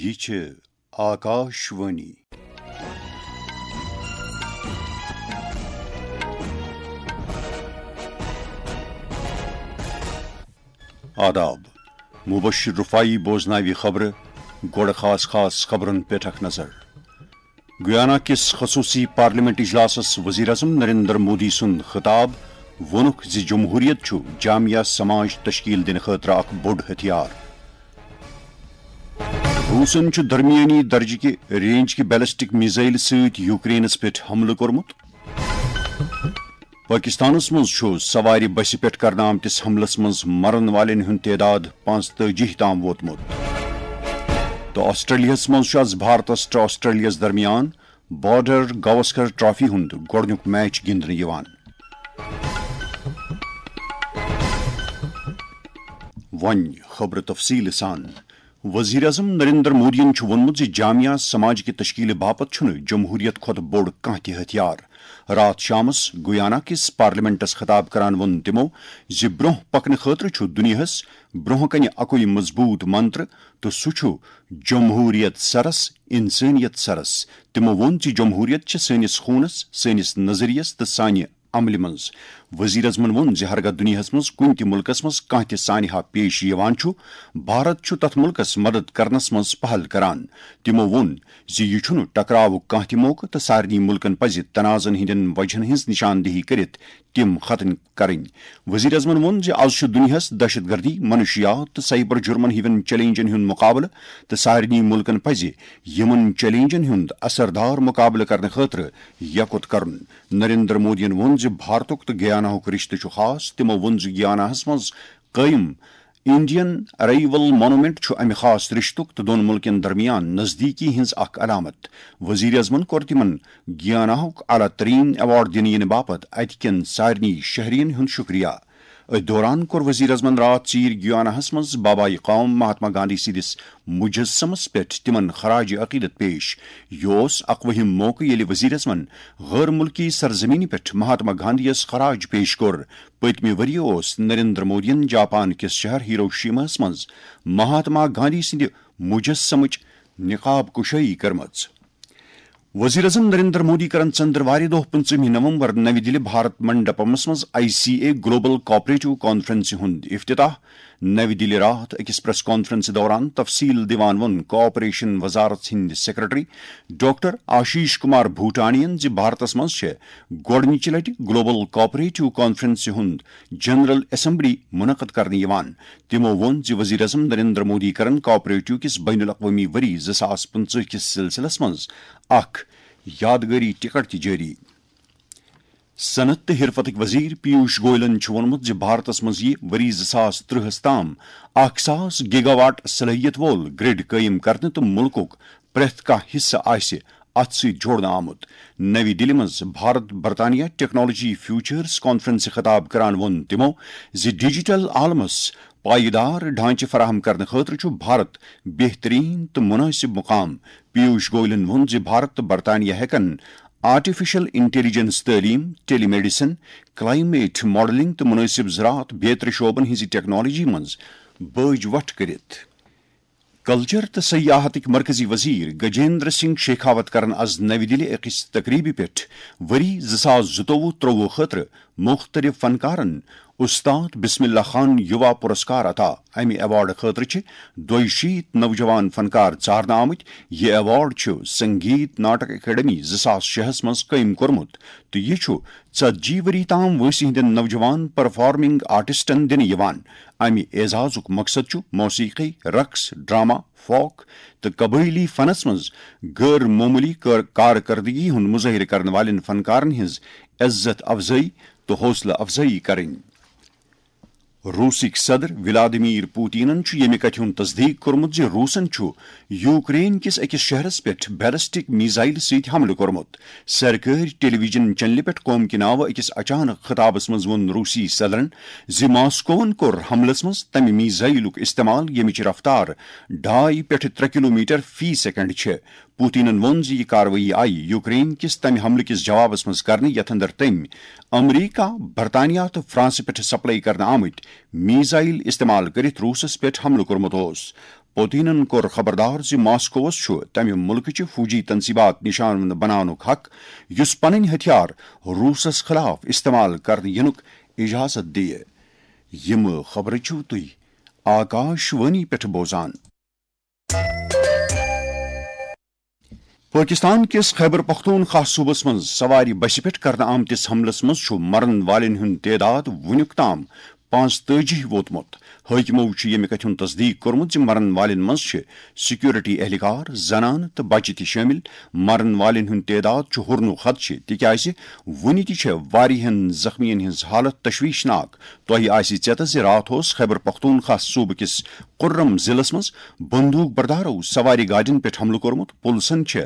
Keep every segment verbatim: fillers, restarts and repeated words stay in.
یہِ چھِ آکاش وانی۔ آداب۔ مبشر رفاعی بوزناوِ خبرٕ۔ گۄڈٕ خاص خاص خبرن پٮ۪ٹھ اکھ نظر۔ گیانا کِس خصوٗصی پارلیمنٹ اجلاسس وزیر اعظم نریندر مودی سُنٛد خطاب، ووٚنُکھ زِ جمہوریت چھُ جامعہ سماج تشکیل دِنہٕ خٲطرٕ اکھ بوٚڑ ہتھیار۔ روسن چھُ درمیٲنی درجہٕ کہِ رینج کہِ بیلسٹک میزائل سۭتۍ یوکرینس پٮ۪ٹھ حملہٕ کوٚرمُت۔ پٲکِستانَس منٛز چھُ سوارِ بسہِ پٮ۪ٹھ کرنہٕ آمتِس حملَس منٛز مرن والٮ۪ن ہُنٛد تعداد پانٛژتٲجی تام ووتمُت۔ تہٕ آسٹریلیاہَس منٛز چھُ آز بھارتَس تہٕ آسٹریلیاہَس درمیان بارڈر گواسکر ٹرافی ہُنٛد گۄڈٕنیُک میچ گِنٛدنہٕ یِوان۔ وۄنۍ خبرٕ تفصیٖل سان۔ وزیر اعظم نریندر مودیَن چھُ ووٚنمُت زِ جامعہ سماج کہِ تشکیلہِ باپتھ چھُنہٕ جمہوریت کھۄتہٕ بوٚڑ کانٛہہ تہِ ہتھیار۔ راتھ شامس گیانا کِس پارلیمنٹس خطاب کران ووٚن تِمو زِ برونٛہہ پکنہٕ خٲطرٕ چھُ دُنیاہس برونٛہہ کنہِ اکُے مضبوٗط منتر، تہٕ سُہ چھُ جمہوریت سرس، انسٲنیت سرس۔ تِمو ووٚن زِ جمہوریت چھِ سٲنِس خوٗنس، سٲنِس نظریس تہٕ سانہِ عملہِ منٛز۔ وزیر اعظمن ووٚن زِ ہرگاہ دُنیاہس منٛز کُنہِ تہِ مُلکس منٛز کانٛہہ تہِ سانحہ پیش یِوان چھُ، بھارت چھُ تتھ مُلکس مدد کرنس منٛز پہل کران۔ تِمو ووٚن زِ یہِ چھُنہٕ ٹکراوُک کانٛہہ تہِ موقعہٕ تہٕ سارنٕے مُلکن پزِ تنازعن ہٕنٛدٮ۪ن وجہن ہٕنٛز نشاندہی کٔرِتھ تِم ختم کرٕنۍ۔ وزیر اعظمن ووٚن زِ از چھُ دُنیاہس دہشت گردی، منشیات تہٕ سائبر جرمن ہِوٮ۪ن چیلنجن ہُنٛد مقابلہٕ، تہٕ سارنٕے مُلکن پزِ یِمن چیلنجن ہُنٛد اثردار مقابلہٕ کرنہٕ خٲطرٕ یکوت کرُن۔ نریندر مودیَن ووٚن زِ بھارتُک تہٕ گیاناہُک رشتہٕ چھُ خاص۔ تِمو ووٚن زِ گیاناہَس منٛز قٲیِم انڈین ارائیول مونومنٹ چھُ امہِ خاص رشتُک تہٕ دۄن ملکن درمیان نزدیکی ہٕنٛز اکھ علامت۔ وزیر اعظمن کوٚر تِمن گیاناہُک اعلیٰ ترین ایوارڈ دِنہٕ یِنہٕ باپتھ اتہِ کٮ۪ن سارنٕے شہرین ہُنٛد شکریہ۔ أتھۍ دوران کوٚر وزیر اعظمن راتھ ژیٖرۍ گیاناہَس منٛز بابائے قوم مہاتما گاندھی سٕنٛدِس مجسمس پٮ۪ٹھ تِمن خراج عقیدت پیش۔ یہِ اوس اکوُہِم موقعہٕ ییٚلہِ وزیر اعظمن غٲر مُلکی سرزمینہِ پٮ۪ٹھ مہاتما گاندھیَس خراج پیش کوٚر۔ پٔتمہِ ؤرۍ یہِ اوس نریندر مودیَن جاپان کِس شہر ہیروشیماہَس منٛز مہاتما گاندھی سٕنٛدِ مجسمٕچ نقاب کشٲیی کٔرمٕژ۔ وزیر اعظم نریندر مودی کرن ژندروارِ دۄہ پٕنٛژٕہمہِ نومبر نَوِ دِلہِ بھارت منڈپمس منٛز I C A global cooperative کانفرنسہِ ہُنٛد افتتاح۔ نَوِ دِلہِ راتھ أکِس پریس کانفرنسہِ دوران تفصیل دِوان ووٚن کوآپریشن وزارت ہٕنٛدۍ سیکرٹری ڈاکٹر آشیش کمار بھوٹانین زِ بھارتس منٛز چھےٚ گۄڈٕنِچہِ لٹہِ گلوبل کوآپریٹو کانفرنسہِ ہُنٛد جنرل اسمبلی منعقد کرنہٕ یِوان۔ تِمو ووٚن زِ وزیر اعظم نریندر مودی کرن کوآپریٹو کِس بین الاقوٲمی ؤری زٕ ساس پٕنٛژٕہ کِس سلسلس منٛز اکھ یادگٲری ٹکٹ تہِ جٲری۔ صنعت تہٕ حرفتٕکۍ وزیر پیوش گوئلن چھُ ووٚنمُت زِ بھارتس منٛز یِیہِ ؤری زٕ ساس ترٕٛہس تام اکھ ساس گیگا واٹ صلٲحیت وول گرڈ قٲیِم کرنہٕ تہٕ مُلکُک پرٛٮ۪تھ کانٛہہ حصہٕ آسہِ اتھ سۭتۍ جوڑنہٕ آمُت۔ نَوِ دِلہِ منٛز بھارت برطانیہ ٹیکنالوجی فیوچرز کانفرنسہِ خطاب کران ووٚن تِمو زِ ڈیجیٹل عالمس پائیدار ڈھانچہٕ فراہم کرنہٕ خٲطرٕ چھُ بھارت بہترین تہٕ مناسب مقام۔ پیوش گوئلن ووٚن زِ بھارت تہٕ برطانیہ ہٮ۪کن آرٹیفیشل انٹیلیجنس، تعلیم، ٹیلی میڈیسن، کلائمیٹ ماڈلنگ تہٕ مناسب زراعت بیترِ شعبن ہٕنٛزِ ٹیکنالوجی منٛز بٲج وٹھ کٔرِتھ۔ کلچر تہٕ سیاحتٕکۍ مرکزی وزیر گجیندر سنگھ شیخاوت کرن از نَوِ دِلہِ أکِس تقریبہِ پٮ۪ٹھ ؤری زٕ ساس زٕتووُہ ترٛووُہ خٲطرٕ مُختٔلِف فنکارن استاد بسم اللہ خان یُوا پُرسکار عطا۔ امہِ ایوارڈ خٲطرٕ چھِ دۄیہِ شیٖتھ نوجوان فنکار ژارنہٕ آمٕتۍ۔ یہِ ایوارڈ چھُ سنگیت ناٹک اکیڈمی زٕ ساس شےٚ ہَس منٛز قٲیِم کوٚرمُت تہٕ یہِ چھُ ژتجی ؤری تام وٲنٛسہِ ہٕنٛدٮ۪ن نوجوان پرفارمنگ آرٹسٹن دِنہٕ یِوان۔ امہِ اعزازُک مقصد چھُ موسیقی، رقص، ڈرامہ، فوک تہٕ قبٲئلی فنس منٛز غٲر معموٗلی کار-، کارکردگی ہُنٛد مظٲہرٕ کرن والٮ۪ن فنکارن ہٕنٛز عزت افزٲیی تہٕ حوصلہٕ افزٲیی کرٕنۍ۔ روسٕکۍ صدر ولادیمیر پوتینن چھُ ییٚمہِ کتھِ ہُنٛد تصدیق کوٚرمُت زِ روسن چھُ یوکرین کِس أکِس شہرس پٮ۪ٹھ بیلسٹک میزائل سۭتۍ حملہٕ کوٚرمُت۔ سرکٲرۍ ٹیلی ویژن چینلہِ پٮ۪ٹھ قوم کہِ ناوٕ أکِس اچانک خطابس منٛز ووٚن روسی صدرن زِ ماسکوون کوٚر حملس منٛز تمہِ میزائلُک استعمال ییٚمِچ رفتار ڈاے پٮ۪ٹھ ترٛےٚ کلومیٹر فی سیکنڈ چھےٚ۔ پوتینن ووٚن زِ یہِ کاروٲیی آیہِ یوکرین کِس تمہِ حملہٕ کِس جوابس منٛز کرنہٕ یتھ اندر تٔمۍ امریکہ، برطانیہ تہٕ فرانسہٕ پٮ۪ٹھ سپلائی کرنہٕ آمٕتۍ میزائل استعمال کٔرِتھ روسس پٮ۪ٹھ حملہٕ کوٚرمُت اوس۔ پوتینن کوٚر خبردار زِ ماسکووس چھُ تمہِ مُلکٕچہِ فوجی تنصیبات نشانہٕ بناونُک حق، یُس پنٕنۍ ہتھیار روٗسس خلاف استعمال کرنہٕ یِنُک اجازت دِیہِ۔ یِم خبرٕ چھِو تُہۍ آکاش وانی پٮ۪ٹھ بوزان۔ پٲکِستان کِس خیبر پختونخوا صوٗبس منٛز سوارِ بسہِ پٮ۪ٹھ کرنہٕ آمتِس حملس منٛز چھُ مرن والٮ۪ن ہُنٛد تعداد وُنیُک تام پانٛژتٲجی ووتمُت۔ حٲکِمو چھُ ییٚمہِ کتھِ ہُنٛد تصدیٖق کوٚرمُت زِ مرن والٮ۪ن منٛز چھِ سیکورٹی اہلکار، زنانہٕ تہٕ بچہِ تہِ شٲمِل۔ مرن والٮ۪ن ہُنٛد تعداد چھُ ہُرنُک خدشہٕ، تِکیازِ وُنہِ تہِ چھےٚ واریاہن زخمیَن ہٕنٛز حالت تشویشناک۔ تۄہہِ آسہِ ژیتس زِ راتھ اوس خیبر پختونخوا صوٗبہٕ کِس کُرم ضلعس منٛز بندوٗق بردارو سوارِ گاڑٮ۪ن پٮ۪ٹھ حملہٕ کوٚرمُت۔ پُلسن چھِ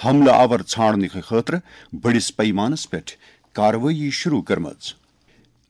حملہٕ آور ژھانڈنہٕ خٲطرٕ بٔڑِس پیمانس پٮ۪ٹھ کاروٲیی شروع کٔرمٕژ۔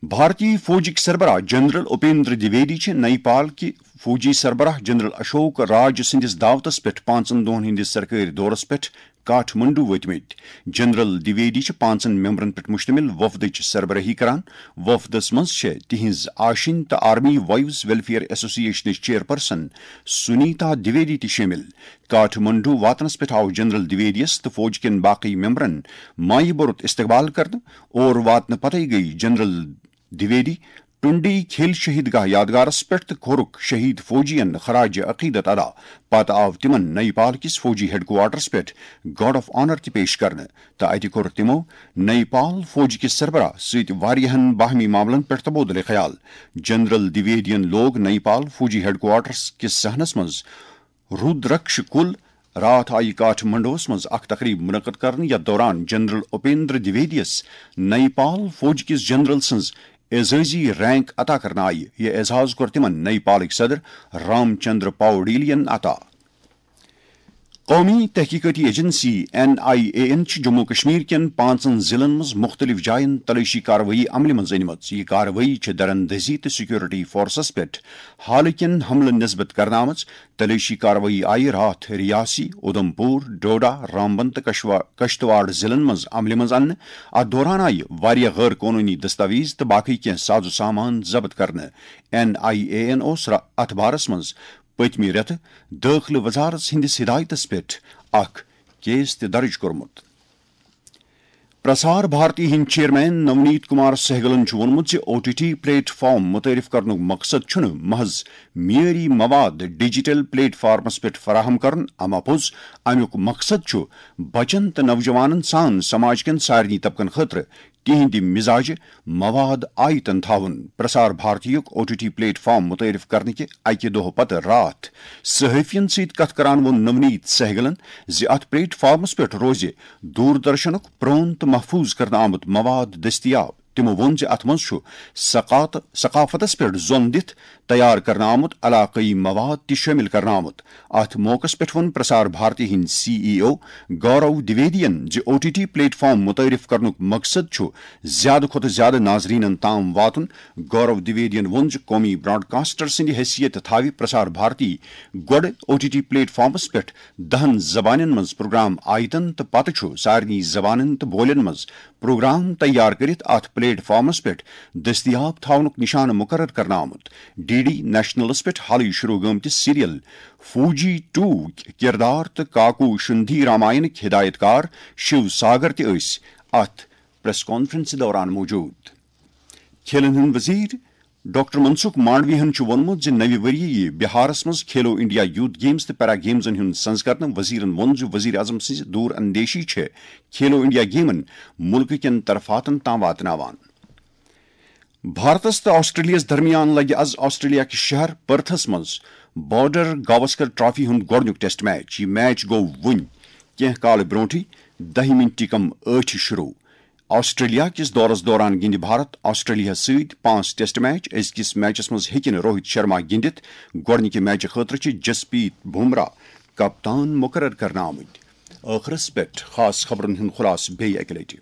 بھارتی فوجٕکۍ سربراہ جنرل اپیندر دویدی چھِ نیپال کہِ فوجی سربراہ جنرل اشوک راج سٕنٛدِس دعوتس پٮ۪ٹھ پانٛژن دۄہن ہٕنٛدِس سرکٲرۍ دورس پٮ۪ٹھ کاٹھ منڈو وٲتمٕتۍ۔ جنرل دویدی چھِ پانٛژن ممبرن پٮ۪ٹھ مشتمل وفدٕچ سربرٲہی کران۔ وفدس منٛز چھےٚ تِہنٛز آشِنۍ تہٕ آرمی وائیوز ویلفیئر ایسوسی ایشنٕچ چیئرپرسن سنیتا دویدی تہِ شٲمِل۔ کاٹھ منڈو واتنس پٮ۪ٹھ آو جنرل دویدیس تہٕ فوج کٮ۪ن باقٕے ممبرن مایہِ بوٚرُت استقبال کرنہٕ۔ اور واتنہٕ پتے گٔیہِ جنرل دویدی ٹنڈی کھیل شہید گاہ یادگارس پٮ۪ٹھ تہٕ کوٚرُکھ شہید فوجین خراج عقیدت ادا۔ پتہٕ آو تِمن نیپال کِس فوجی ہیڈ کوارٹرس پٮ۪ٹھ گارڈ آف آنر تہِ پیش کرنہٕ تہٕ اتہِ کوٚر تِمو نیپال فوج کِس سربراہ سۭتۍ واریاہن باہمی معاملن پٮ۪ٹھ تبادلہٕ خیال۔ جنرل دویدین لوگ نیپال فوجی ہیڈ کوارٹرس کِس صحنس منٛز رودرکش کُل۔ راتھ آیہِ کاٹھ منڈوس منٛز اکھ تقریب منعقد کرنہٕ، یتھ دوران جنرل اپیندر دویدیس نیپال فوج کِس جنرل سٕنٛز اعزازی رینک عطا کرنہٕ آیہِ۔ یہِ اعزاز کوٚر تِمن نیپالٕکۍ صدر رام چندر پاوڈیلین عطا۔ قومی تحقیقاتی ایجنسی این آئی اے این چھِ جموں و کشمیر کٮ۪ن پانٛژن ضلعن منٛز مُختٔلِف جاین تلٲشی کاروٲیی عملہِ منٛز أنمٕژ۔ یہِ کاروٲیی چھِ دراندازی تہٕ سیکورٹی فورسز پٮ۪ٹھ حالہٕ کٮ۪ن حملن نسبت کرنہٕ آمٕژ۔ تلٲشی کاروٲیی آیہِ راتھ ریاسی، اُدھمپور، ڈوڈا، رامبن تہٕ کشوا-، کشتواڑ ضلعن منٛز عملہِ منٛز اننہٕ۔ اتھ دوران آیہِ واریاہ غٲر قونوٗنی دستاویز تہٕ باقٕے کینٛہہ ساز و سامان ضبط کرنہٕ۔ این آئی اے این اوس را-، اتھ بارس منٛز پٔتمہِ رٮ۪تہٕ دٲخلہٕ وزارت سٕنٛدِس ہدایتس پٮ۪ٹھ اکھ کیس تہِ درج کوٚرمُت۔ پرسار بھارتی ہٕنٛدۍ چیئرمین نونیت کمار سہگلن چھُ ووٚنمُت زِ او ٹی ٹی پلیٹ فارم متعارف کرنُک مقصد چھُنہٕ محض معیٲری مواد ڈیجیٹل پلیٹ فارمس پٮ۪ٹھ فراہم کرُن، اما پوٚز امیُک مقصد چھُ بچن تہٕ نوجوانن سان سماج کٮ۪ن سارنٕے طبقن خٲطرٕ تِہنٛدِ مزاجہِ مواد آیتن تھاوُن۔ پرسار بھارتیُک O T T platform متعارف کرنہٕ کہِ اکہِ دۄہ پتہٕ راتھ صحافین سۭتۍ کتھ کران ووٚن نونیت سہگلن زِ اتھ پلیٹ فارمس پٮ۪ٹھ روزِ دوردرشنُک پرون تہٕ محفوظ کرنہٕ آمُت مواد دٔستیاب۔ تِمو ووٚن زِ اتھ منٛز چھُ ثقات-، ثقافتس پٮ۪ٹھ زۄن دِتھ تیار کرنہٕ آمُت علاقٲیی مواد تہِ شٲمِل کرنہٕ آمُت۔ اتھ موقعس پٮ۪ٹھ ووٚن پرسار بھارتی ہٕنٛدۍ سی ای او گورو دویدین زِ او ٹی ٹی پلیٹ فارم متعارف کرنُک مقصد چھُ زیادٕ کھۄتہٕ زیادٕ ناظرینن تام واتُن۔ گورو دویدین ووٚن زِ قومی براڈکاسٹر سٕنٛدِ حیثیت تھاوِ پرسار بھارتی گۄڈٕ او ٹی ٹی پلیٹ فارمس پٮ۪ٹھ دہن زبانن منٛز پروگرام آیتن تہٕ پتہٕ چھُ سارنٕے زبانن تہٕ بولٮ۪ن منٛز پروگرام تیار کٔرِتھ اتھ پلیٹ فارمس پٮ۪ٹھ دٔستیاب تھاونُک نشانہٕ مقرر کرنہٕ آمُت۔ ڈی ڈی نیشنلس پٮ۪ٹھ حالٕے شروع گٲمتِس سیریل فوجی ٹو کردار تہٕ کاکو شندھی راماینٕکۍ ہدایت کار شیو ساگر تہِ ٲسۍ اتھ پریس کانفرنسہِ دوران موجود۔ کھیلن ہٕنٛدۍ وزیر ڈاکٹر منسکھ مانڈویہن چھُ ووٚنمُت زِ نَوِ ؤریہِ یِیہِ بہارس منٛز کھیلو انڈیا یوتھ گیمز تہٕ پیرا گیمزن ہُنٛد سنز کرنہٕ۔ وزیرن ووٚن زِ وزیر اعظم سٕنٛز دور اندیشی چھِ کھیلو انڈیا گیمن مُلکہٕ کٮ۪ن طرفاتن تام واتناوان۔ بھارتس تہٕ آسٹریلیاہس درمیان لگہِ از آسٹریلیا کِس شہر پرتھس منٛز بارڈر گواسکر ٹرافی ہُنٛد گۄڈٕنیُک ٹیسٹ میچ۔ یہِ میچ گوٚو وُنۍ کینٛہہ کالہٕ برونٛٹھٕے دَہہِ مِنٹہِ کم ٲٹھِ شروع۔ آسٹریلیا کِس دورس دوران گِنٛدِ بھارت آسٹریلیا سۭتۍ پانٛژھ ٹیسٹ میچ۔ أزکِس میچس منٛز ہیٚکہِ نہٕ روہت شرما گِنٛدِتھ۔ گۄڈٕنِکہِ میچہِ خٲطرٕ چھِ جسپیت بمرا کپتان مقرر کرنہٕ آمٕتۍ۔ ٲخرس پٮ۪ٹھ خاص خبرن ہُنٛد خلاصہٕ بیٚیہِ اکہِ لٹہِ۔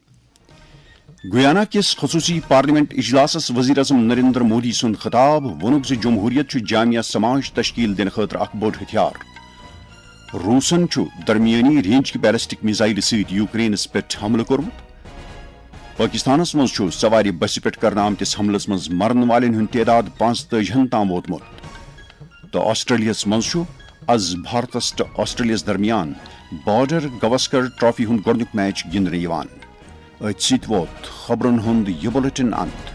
گیانا کِس خصوٗصی پارلیمنٹ اجلاسس وزیر اعظم نریندر مودی سُنٛد خطاب، ووٚنُکھ زِ جمہوریت چھُ جامع سماج تشکیل دِنہٕ خٲطرٕ اکھ بوٚڑ ہتھیار۔ روٗسن چھُ درمیٲنی رینج کہِ بیلسٹک میزائلہٕ سۭتۍ یوکرینس پٮ۪ٹھ حملہٕ کوٚرمُت۔ پٲکِستانَس منٛز چھُ سوارِ بسہِ پٮ۪ٹھ کرنہٕ آمتِس حملَس منٛز مرن والٮ۪ن ہُنٛد تعداد پانٛژتٲجی ہَن تام ووتمُت۔ تہٕ آسٹریلیاہَس منٛز چھُ از بھارتس تہٕ آسٹریلیاہس درمیان بارڈر گواسکر ٹرافی ہُنٛد گۄڈٕنیُک میچ گِنٛدنہٕ یِوان۔ أتھۍ سۭتۍ ووت خبرن ہُنٛد یہِ بُلٹن انت۔